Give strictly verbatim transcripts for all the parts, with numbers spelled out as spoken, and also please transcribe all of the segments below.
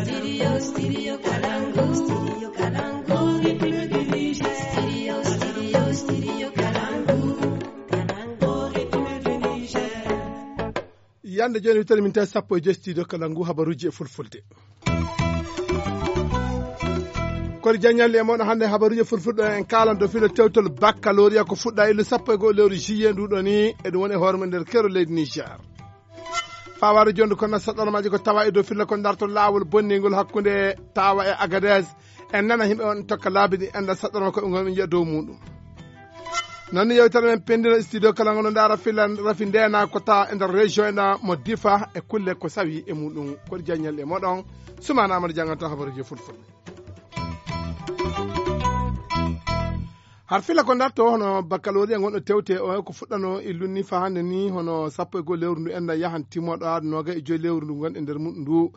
Studio, studio Kalangu, studio Kalangu, rythme du Niger. Studio, studio, studio Kalangu, Kalangu, rythme du Niger. Yande jooni wittere min tawi sappo e joy studio Kalangu habaruuji e fulfulde. Kori jaññalli e moɗon hannde habaruuji e fulfulde en kaalan dow filo tewtol baccalauréat ko fuɗɗa illu sappo e go'o lewru juillet ndu ɗo ni eɗum woni e hoore mum nder kero leydi Niger. Fawaade jonde kono saɗɗormaaji ko tawa e dow filla ko darto laawol bonningol hakkunde tawa e Agadez. En nana yimɓe on tokka laabi ɗi enda saɗɗorma ko ɓe ngon ɓe njiya dow muɗum. Noon ni yewtere men pendino studio kala ngono ndaara filla rafi ndena ko tawa e nder région ena mo difa e kulle ko sawi e muɗum. Koɗi jaññal e moɗon sumana amadou janganta habaruji fulfulde. Har fila ko darto hono baccalauréat gonɗo tewte o ko fuɗɗano e lunni fa hannde ni hono sappo e goho lewru ndu enda yahan timmoɗo aɗa noga e joyi lewru ndu gon e nder muɗum ndu.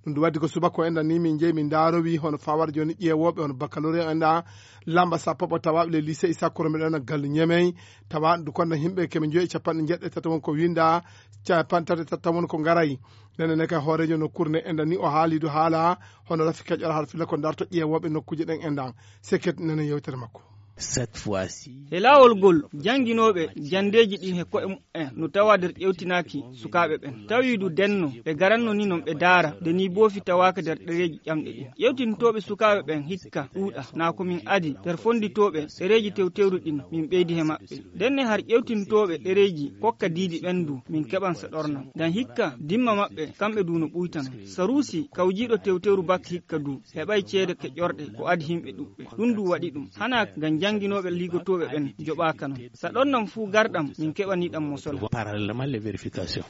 Ɗum ndu waddi ko subaka o enda ni min jeeyi min ndarowi hono fawar joni ƴeewoɓe hono baccalauréat enda lamba sappo ɓo tawaɓe le lycée issa koro mbiɗa ena galle ñemey tawa ndu konna yimɓe keme joyi e capanɗe jeeɗiɗi tata won ko winda capanɗe tati tata won ko garay. Nene ne kay hooreejo nokkuure nde enda ni o haali du haala hono rafi keƴora har fila ko darto ƴeewooɓe nokkuuje ɗen endan. Seket nene yewtere makko. Cette fois-ci. He laawol ngol jannginooɓe janndeeji ɗin he ko'e mumen no tawa nder ƴewtinaaki sukaaɓe ɓen tawi du denno ɓe garanno ni non ɓe daara nde ni boofi tawaaka nder ɗereeji ƴamɗe ɗin. Ƴewtintooɓe sukaaɓe ɓen hikka ɗuuɗa na ko min adi nder fonnditooɓe ɗereeji tewtewru ɗin min ɓeydi he maɓɓe. Ndenne har ƴewtintooɓe ɗereeji kokka diidi ɓen du min keɓan saɗorna ngam hikka dimma maɓɓe kamɓe du no ɓuytano. Saruusi kawjiiɗo tewtewru bak hikka du heɓay ceede keƴorɗe ko adi yimɓe ɗuɓɓe. Ɗum du waɗi ɗum hana ngam jannginooɓe liigotooɓe ɓen joɓaaka non. Saɗornam fuu garɗam min keɓaniɗam mo solo. Parallèlement les vérifications.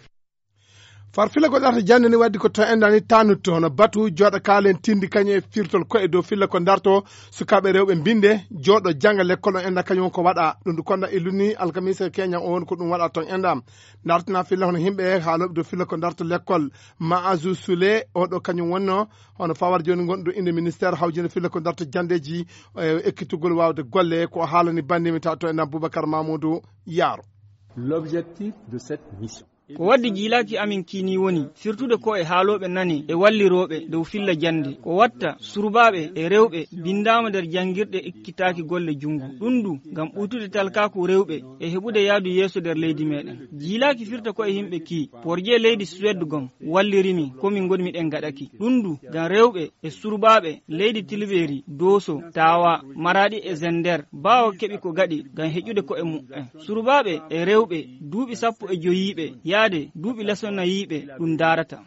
Farfila ko ɗata jannde ni waddi ko to endani tanutto hono batu jooɗa kaalen tindi kañum e firtol koye dow filla ko darto sukaaɓe rewɓe mbinde jooɗo jannga lekkol on enda kañum ko waɗa ɗum du konda e lunni alkamisa keña o woni ko ɗum waɗa toon enda. Dartina filla hono yimɓe haalooɓe dow filla ko darto lekkol ma azu sule oɗo kañum wonno hono fawar joni gonɗo inde ministére hawjino filla ko darto janndeeji e ekkitugol waawde golle ko haalani bandimi ta to enda boubacar mamoudou. Yaaro. L'objectif de cette mission. Ko waddi jiilaaki amin kiini woni firtude ko e haalooɓe nane e wallirooɓe dow filla jannde ko watta surbaaɓe e rewɓe binndaama nder janngirɗe ekkitaaki golle junngo. Ɗum du ngam ɓuytude talkaaku rewɓe e heɓude yahdu yeeso nder leydi meɗen. Jiilaaki firta ko e yimɓe kii porje leydi suwed gom walliri min ko min ngoni miɗen ngaɗaki ɗum du ngam rewɓe e surbaaɓe leydi tilbeeri dooso taawa maraɗi e zender baawo keɓi ko gaɗi ngam heƴude ko'e mumen. Surbaaɓe e rewɓe duuɓi sappo e joyiiɓe yaade duuɓi lesonayiiɓe ɗum ndaarata.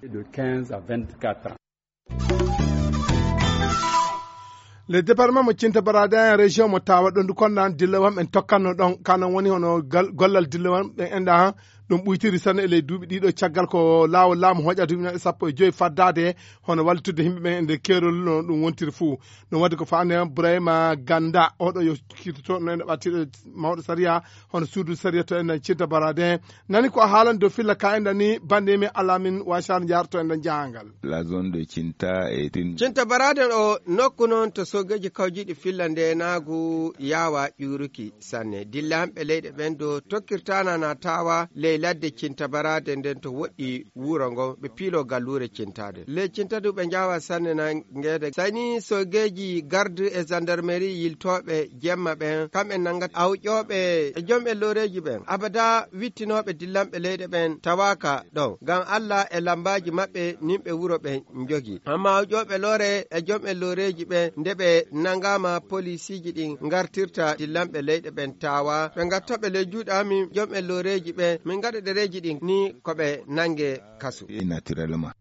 Le département mo cinta barade en région mo tawa ɗon du konnan dillawam en tokkanno ɗon kanan woni hono gollal dillawam ɓen enda ɗum ɓuytiri sanne e ley duuɓi ɗiɗo caggal ko laawol laamu hoƴa duuɓi sappo e joyi faddade hono wallitudde yimɓe ɓen e nder keerol no ɗum wontiri fuu. Ɗum waɗi ko faande burayma ganda oɗo yo kirtoto no ene ɓattiɗo mawɗo sariya hono suudu sariya to enen cinta barade nani ko haalan dow filla ka enda ni bande min alamin washar jarto enda jahangal. La zone de cinta est une cinta barade o nokku noon to sogeji kawjiɗi filla ndenagu yawa ƴuruki sanne dillanɓe leyɗe ɓen do tokkirtana na tawa ley ladde cinta barade nden to woɗɗi wuro ngo ɓe piilo gallure cintade ley cinta du ɓe jawa sanne na ngede sani sogeji garde e gendarmerie yiltoɓe jemma ɓen kamɓe nangat awƴoɓe e jom e loreji ɓen abada wittinoɓe dillanɓe leyɗe ɓen tawaka ɗon ngam allah e lambaji maɓɓe nimɓe wuro ɓen jogi amma awƴoɓe lore e jom e loreji ɓen nde ɓe nangama polisiji ɗin gartirta dillanɓe leyɗe ɓen tawa ɓe gattaɓe ley juuɗe amin jom e loreji ɓen min gaɗa ɗereji ɗin ni koɓe nange kasu. Naturellement.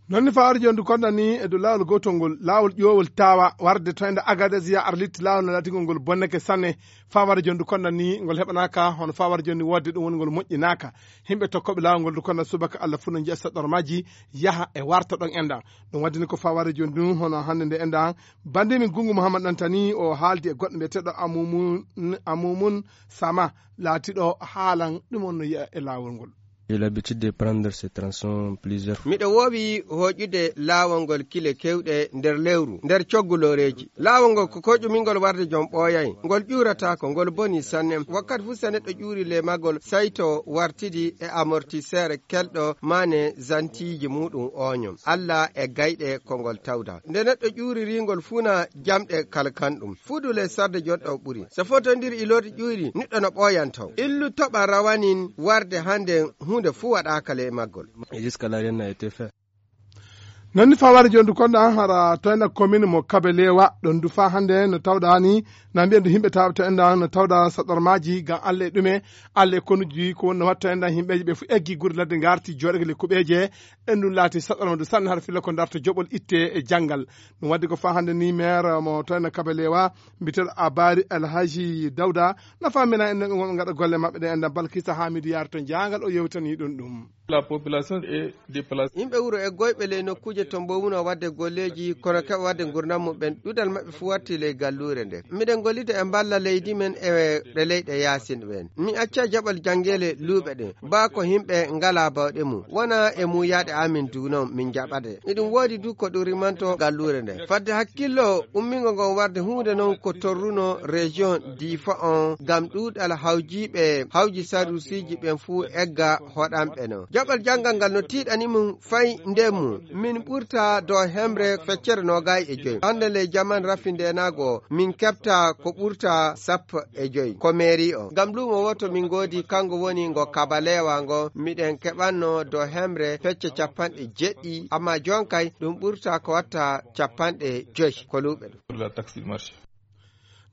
Noon ni fawaade jooni du konɗan ni e dow laawol gootol ngol laawol ƴoowol taawa warde to ende agades ya arlitti laawol no laatingol ngol bonneke sanne. Fawaade jooni du konɗan ni ngol heɓanaaka hono fawaade jooni ni woodde ɗum woni ngol moƴƴinaaka. Yimɓe tokkooɓe laawol ngol du konɗan subaka allah fuu no njiya saɗɗormaaji yaha e warta ɗon enɗan. Ɗum waɗde ni ko fawaade jooni du hono hannde nde enɗan bannde min gunngu muhammad ɗantani o haaldi e goɗɗo mbiyeteeɗo amumun amumun sama laatiɗo haalan ɗum on no yiya e laawol ngol. J'ai l'habitude de prendre ces tronçons plusieurs fois. Miɗo woowi hooƴude laawol ngol kile keewɗe nder lewru, nder coggu looreeji. Laawol ngol ko koƴumingol warde jom ɓooyay. Ngol ƴuurataako, ngol boni sanne. Wakkati fuu so neɗɗo ƴuuri le magol, sayto wartidi e amortisseur kelɗo maane zantiiji muuɗum ooño. Alla e gayɗe ko ngol tawda. Nde neɗɗo ƴuuriri ngol fuu na jamɗe kalkan ɗum. Fuudu le sarde jonɗo ɓuri. So fotondiri iloode ƴuuri, neɗɗo no ɓooyan taw. Illu toɓa rawanin warde hannde huunde fuu waɗaaka le maggol. Et jusqu'à là, rien n'a été fait. Non ni faa wari jooni du konɗa hara toyna commune mo Kabelewa ɗon du faa hannde no tawɗa ni na mbiyen du yimɓe tawɓe to enɗa no tawɗa saɗarmaaji ngam Alla e ɗume, Alla e konuji ko woni no watta enɗa yimɓeji ɓe fu eggi gure ladde ngarti jooɗoge le kuɓeeje. Ɗen ɗum laati saɗarma du sanne hara filla ko darto joɓol itte e janngal. Ɗum wadde ko faa hannde ni maire mo toyna Kabelewa mbiyeteeɗo Abari Alhaji Dawda na famina en ɓe ngonɓe ngaɗa golle maɓɓe ɗe enɗa Balkisa Hamidu Yar to jaangal o yewtani ɗum ɗum. La population est déplacée. Yimɓe wuro e goyɓe ley nokkuuje to mbowuno waɗde golleeji, kono keɓa waɗde ngurndan muɓɓen. Ɗuɗal maɓɓe fuu warti ley galluure nde. Miɗen gollida e mballa leydi men e ɗe leyɗe yaasin ɓen. Mi acca jaɓal janngeele luuɓe ɗe. Baa ko yimɓe ngalaa bawɗe mum. Wona e muuyaaɗe amin duunon min jaɓade. Iɗum woodi du ko ɗum rimanto galluure nde. Fadde hakkillo ummingo ngon warde huunde non ko torruno région Difa on ngam ɗuuɗal hawjiiɓe, hawji sarusiiji ɓen fuu egga hoɗanɓe non. Jaɓal janngal ngal no tiiɗani mum fay ndemmu. Min ɓurta dow hemre feccere noogay e joy. Hannde ley jaman rafi ndeenaago, min keɓta ko ɓurta sappo e joy. Ko mairie o. Ngam luumo wooto min ngoodi, kango woni ngo Kabalewa ngo, miɗen keɓanno dow hemre fecce capanɗe jeɗɗi, amma jon kay ɗum ɓurta ko watta capanɗe joy ko luuɓe ɗum. Pour la taxe du marché.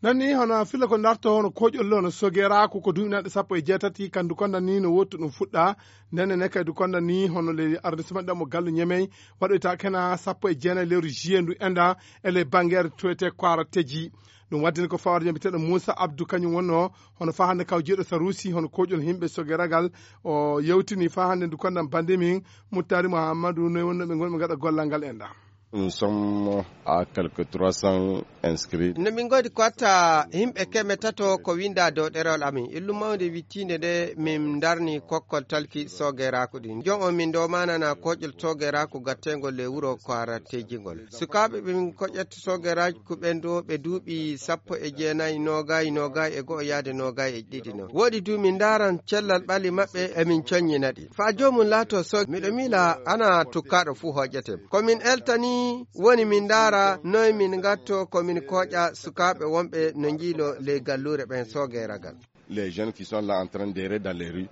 Non ni hono filla ko darto hono koƴol hono Sogeraku ko duuɓi nanɗe sappo e jeetati, kandu konda ni no wottu ɗum fuɗɗa. Nden ne kadi konda ni hono le arrondissement ɗam mo Gallu Ñemey waɗoyta kena sappo e jeenayi lewru juillet ndu enɗa e le bangeere toyte Kwara Teji. Ɗum waddini ko fawar jom biteɗo Moussa Abdou kañum wonno hono faa hannde kaw jeeɗo Sarusi hono koƴol yimɓe Sogeragal. O yewtini faa hannde ndu konda bande min Muttari Muhammadu noy wonno ɓe ngonɓe ngaɗa gollal ngal enɗa. Nous sommes à quelques trois cents inscrits. No min ngoodi ko watta yimɓe keme tato ko winda dow ɗerewol amin. Illu mawnde wittiinde nde min darni kokkol talki Sogeraku ɗin. Jon on min domanana koƴol Sogeraku gattengol le wuro ko ara tejingol. Sukaaɓe ɓe min koƴat Sogeraku ɓen do ɓe duuɓi sappo e jeenayi, noogay, noogay e go'o yaade noogay e ɗiɗi non. Woodi du min ndaran cellal ɓalli maɓɓe e min coññina ɗi. Faa joomum laato so miɗo miila ana tukkaaɗo fuu hoƴete. Ko min eltani woni min ndaara noy min ngatto ko min kooƴa sukaaɓe wonɓe no njiilo ley galluure ɓen Sogeragal. Les jeunes qui sont là en train d'errer dans les rues.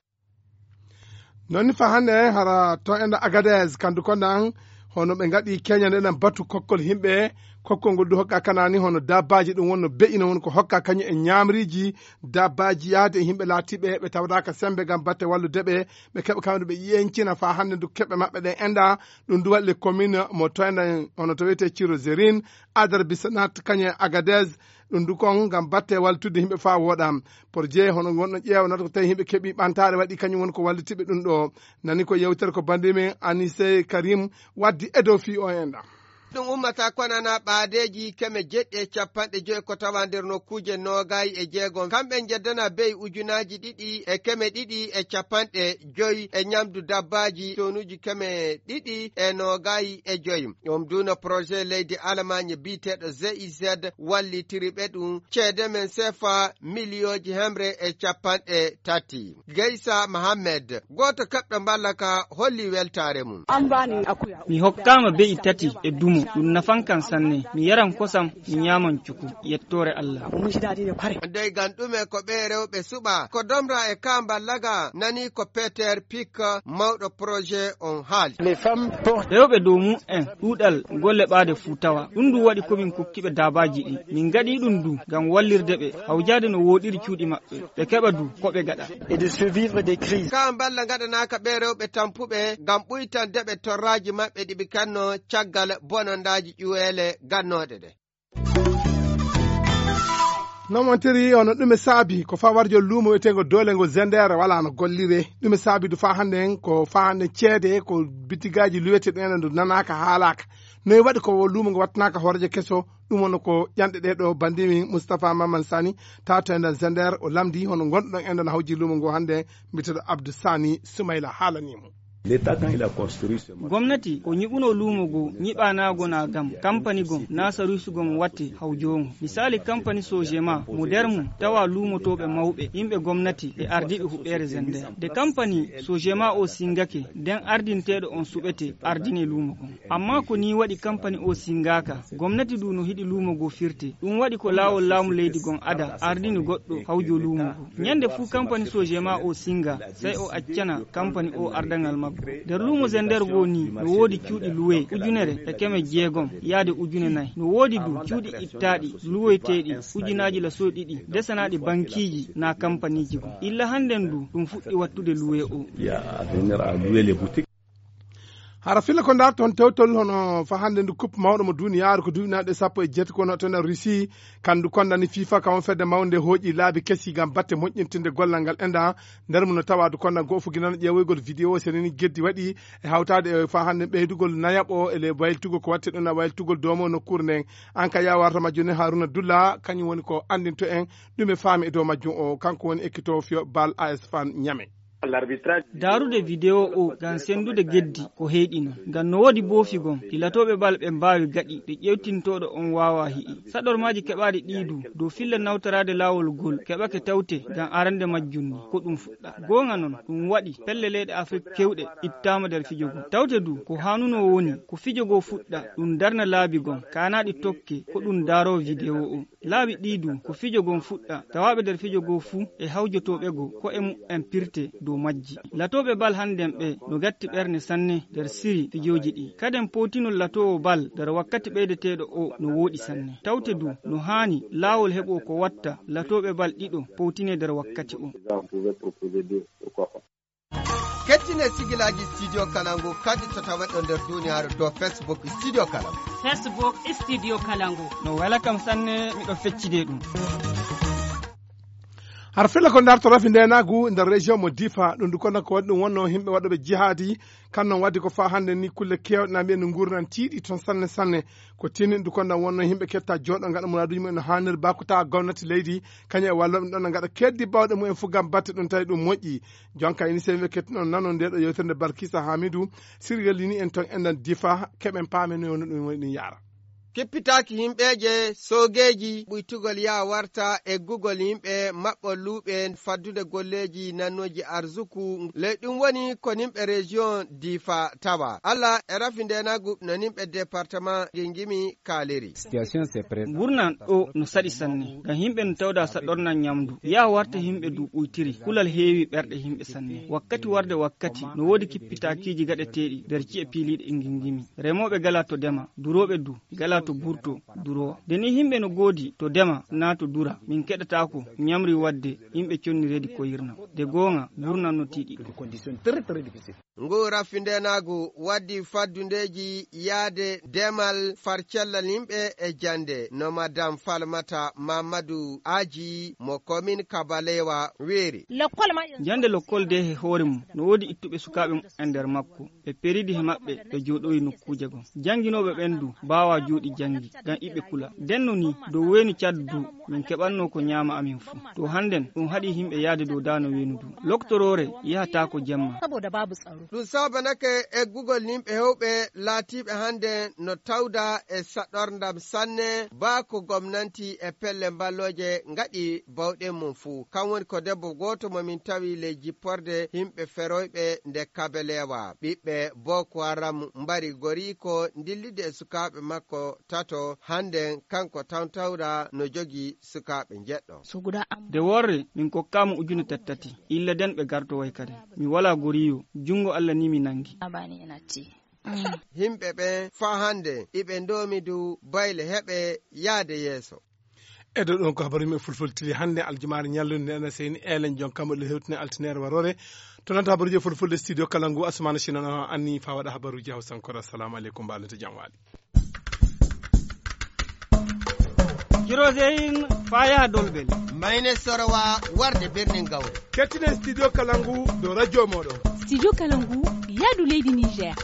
Non ni faa hannde hara to enɗa Agadez kandu konda an hono ɓe ngaɗi keñande ɗan batu kokkol yimɓe. Kokkol ngol du hokka kanani hono dabbaaji ɗum wonno be'ino won ko hokka kañum e ñaamriiji dabbaaji yaade e yimɓe laatiiɓe ɓe tawataaka sembe ngam batte wallude ɓe, ɓe keɓa kamɓe ɓe yeñcina faa hannde ndu keɓe maɓɓe ɗen enɗa. Ɗum du waɗi le commune mo toyna hono to wiyetee Ciro Zerin, Adar Bisanat kañum e Agadez. Ɗum du kon ngam batte wallitudde yimɓe faa wooɗa. Projet hono ngonɗo ƴeewanata ko tawi yimɓe keɓi ɓantaare waɗi kañum woni ko wallitiɓe ɗum ɗo. Nani ko yewtere ko bandi men Anise Karim waddi e dow fii o enɗa. Ɗum ummata konana ɓaadeeji keme jeɗɗi e capanɗe joy ko tawa nder nokkuuje noogay e jeegom. Kamɓe njeddana beyi ujunaaji ɗiɗi e keme ɗiɗi e capanɗe joy e ñamdu dabbaaji tonuuji keme ɗiɗi e noogay e joy. Ɗum duuna projet leydi Alamañe biyeteeɗo G I Z wallitiri ɓe ɗum ceede men sefa miliyooji hemre e capanɗe tati. Geysa Mohammed, gooto keɓɗo mballa ka, holli weltaare mum. Mi hokkaama be'i tati e dumo, ɗum nafan kan sanne. Mi yaran kosam, mi ñaaman cuku. Yettoore Allah. Dey gan ɗume ko ɓe rewɓe suɓa? Ko domra e ka mballa ga nani ko Peter Pick, mawɗo projet on haali. Rewɓe dow mum en ɗuuɗal golle ɓaade fuu tawa. Ɗum ɗum waɗi ko min kokki ɓe daabaaji ɗi. Min ngaɗi ɗum du ngam wallirde ɓe hawjaade no wooɗiri cuuɗi maɓɓe. Ɓe keɓa du ko ɓe gaɗa. Et de survivre des crises. Ka mballa ngaɗanaaka ɓe rewɓe tampuɓe ngam ɓuytande ɓe torraaji maɓɓe ɗi ɓe kanno caggal bonondaaji ƴuweele gannooɗe ɗe. Nomontiri ono ɗume saabi ko fawarjo luumo wiyeteengo doole ngo Zender wala no gollire. Ɗume saabi du faa hannde en ko faa hannde ceede ko bitigaaji luwete ɗen ɗo nanaaka haalaaka. Noy waɗi ko luumo ngo wattanaaka hooreejo keso? Ɗum woni ko ƴanɗe ɗe ɗo banndimi Moustapha Mamman Sani, tato e nder Zender, o lamdi hono ngonɗon en ɗon hawji luumo ngo hannde, mbiyeteeɗo Abdou Sani Soumaila haalanii mo. Gomnati ko ñiɓuno luumo goo, ñiɓanaago na gam kampani gom na saruusi gom watte hawjoongo. Misaali kampani Sojema mo der mum tawa luumotooɓe mawɓe, yimɓe gomnati e ardiiɓe huɓeere Zender. De kampani Sojema o singake, den ardinteeɗo on suɓete ardine luumo gom. Amma ko nii waɗi kampani o singaaka, gomnati du no hiɗi luumo goo firte. Ɗum waɗi ko laawol laamu leydi gom ada ardini goɗɗo hawjo luumo goo. Ñande fuu kampani Sojema o singa, sey o accana kampani o ardaŋal maggo. Nder luumo Zender goo nii, no woodi cuuɗi luwe ujunere e keme jeegom yaade ujune nay. No woodi du cuuɗi ittaaɗi luwoyteeɗi ujunaaji lasoy ɗiɗi desanaaɗi bankiiji naa kampaniiji gom. Illa hannden du, ɗum fuɗɗi wattude luwe o. Hara filla ko ndarton tewtol hono fa hannde ndu coupe mawɗo mo duniyaaru ko duuɓi nanɗe sappo e jeetati kono to nder Russie, kandu kondani FIFA ka won fedde mawnde hooƴi laabi kesi ngam batte moƴƴintinde gollal ngal enda. Nder mum no tawa du konda goo fuginano ƴeewoygol vidéo senini geddi waɗi e hawtaade e fa hannde ɓeydugol nayaɓo e le wayltugol ko watte ɗum na wayltugol doomo nokkuure nden. An ka yawarta majjune Haruna Dulla kañum woni ko anndinto en ɗum e faami e dow majjum o kanko woni ekkito fiyo bal A S fan ñame. Daarude video o ngam senndude geddi ko heyɗi non. Ngam no woodi boofi gom ɗi latooɓe bal ɓe mbaawi gaɗi ɗe ƴeewtintooɗo on waawaa hi'i. Saɗormaaji keɓaaɗi ɗii du dow filla nawtoraade laawol gol keɓake tawte ngam arande majjum ni ko ɗum fuɗɗa. Goonga non ɗum waɗi pelle leyɗe Afrik kewɗe ittaama nder fijo gom. Tawte du ko haanunoo woni ko fijo goo fuɗɗa ɗum darna laabi gom kaanaa ɗi tokke ko ɗum daaroo video o. Laabi ɗii du ko fijo gom fuɗɗa, tawaaɓe nder fijo goo fuu e hawjotooɓe goo ko'e mu'en pirte dow majji. Latooɓe bal hannden ɓee no gatti ɓerne sanne nder siri fijooji ɗii. Kaden powtinol latoowo bal nder wakkati ɓeydeteeɗo o no wooɗi sanne. Tawte du no haani laawol heɓoo ko watta latooɓe bal ɗiɗo powtinee nder wakkati o. Kettine sigilaaji Studio Kalangu kadi to taweɗo nder duniyaaru to Facebook Studio Kalangu. Facebook Studio Kalangu. No wela kam sanne, miɗo feccide ɗum. Har filla ko ndarto rafi ndenagu nder région mo Difa, ɗum du kono ko waɗi ɗum wonno himɓe waɗoɓe jihaadi, kan non waddi ko fa hannde ni kulle kewɗe na mbiyen no nguurnan tiiɗi toon sanne sanne. Ko tinin du kono wonno himɓe ketta jooɗo ngaɗa muraduji mumen no haanir ba ko tawa gomnati leydi kañum e walloɓe ɗon no ngaɗa keddi bawɗe mumen fof gam batte ɗum tawi ɗum moƴƴi. Jonka ini sewɓe kettuno nano nde ɗo yewtere nde Balkisa Hamidou sirgalini en toon enɗan Difa keɓen paame no woni ɗum woni ɗum yaara. Kippitaaki himɓeeje soogeeji ɓuytugol yaa warta eggugol yimɓe maɓɓo luuɓe faddude golleeji nannooji arzuku ley ɗum woni ko nimɓe région Difa tawa. Alla e rafi ndenagu no nimɓe département Gingimi kaaliri. Ngurnan ɗo no saɗi sanne, ngam yimɓe no tawda saɗornan ñamdu. Yaa warta yimɓe du ɓuytiri, kulal heewi ɓerɗe yimɓe sanne. Wakkati warde wakkati, no woodi kippitaakiiji gaɗeteeɗi nder ci'e piiliiɗe e Ngingimi. Remooɓe gala to dema, durooɓe du gala to burto, durowa. Nde ni yimɓe no goodi to dema naa to dura, min keɗataako ñamri wadde yimɓe conni reedi koyirna. De goonga, ngurnan no tiiɗi. Ngu rafi ndenaagu waddi faddundeeji yaade demal farcellal yimɓe e jannde, no Madame Falmata Mamadou Aji mo commune Kabalewa weeri. Jannde lokkol de he hoore mum no woodi ittuɓe sukaaɓe mum e nder makko. Ɓe peridi he maɓɓe, ɓe jooɗoyi nokkuuje gom. Jannginooɓe ɓen du mbaawaa jooɗi janngi, ngam iɓe kula. Denno ni, dow weeni Cad du, min keɓannoo ko ñaama amin fuu. To hannden, ɗum haɗi yimɓe yahde dow daano weenu du. Loktoroore yahataako jemma. Ɗum sabanake eggugol yimɓe heewɓe laatiiɓe hannden no tawda e saɗorndam sanne, baa ko gomnanti e pelle mballooje ngaɗi bawɗe mum fuu. Kam woni ko debbo gooto mo min tawi ley jipporde yimɓe feroyɓe nde Kabelewa. Ɓiɓɓe Boko Haram mbari goriiko ndillide e sukaaɓe makko tato. Hannden kanko tan tawra no jogii sukaaɓe njeɗɗo. De worre, min kokkaama ujune tattati. Illa den ɓe gartoway kadi. Mi walaa goriyo, junngo Alla ni mi nanngi. Yimɓe ɓen faa hannde iɓe ndoomi dow bayle heɓe yaade yeeso. E dow ɗon ko habaru yimɓe fulfulde tili hannde aljumaare ñallude nde ena seyni elen jon kamɓe ɗo hewtine altine waroore. To nanta habaruji fulfulde studio kala ngu Asumana Sino no anni faa waɗa habaruji hawsankore. Assalamu aleykum, mbaalete jam waali. Kiroseyin faya dolbel. Mayne sorowa warde birnin gawre. Kettinen studio Kalangu do radio moɗo. Studio Kalangu, yadu leydi Niger.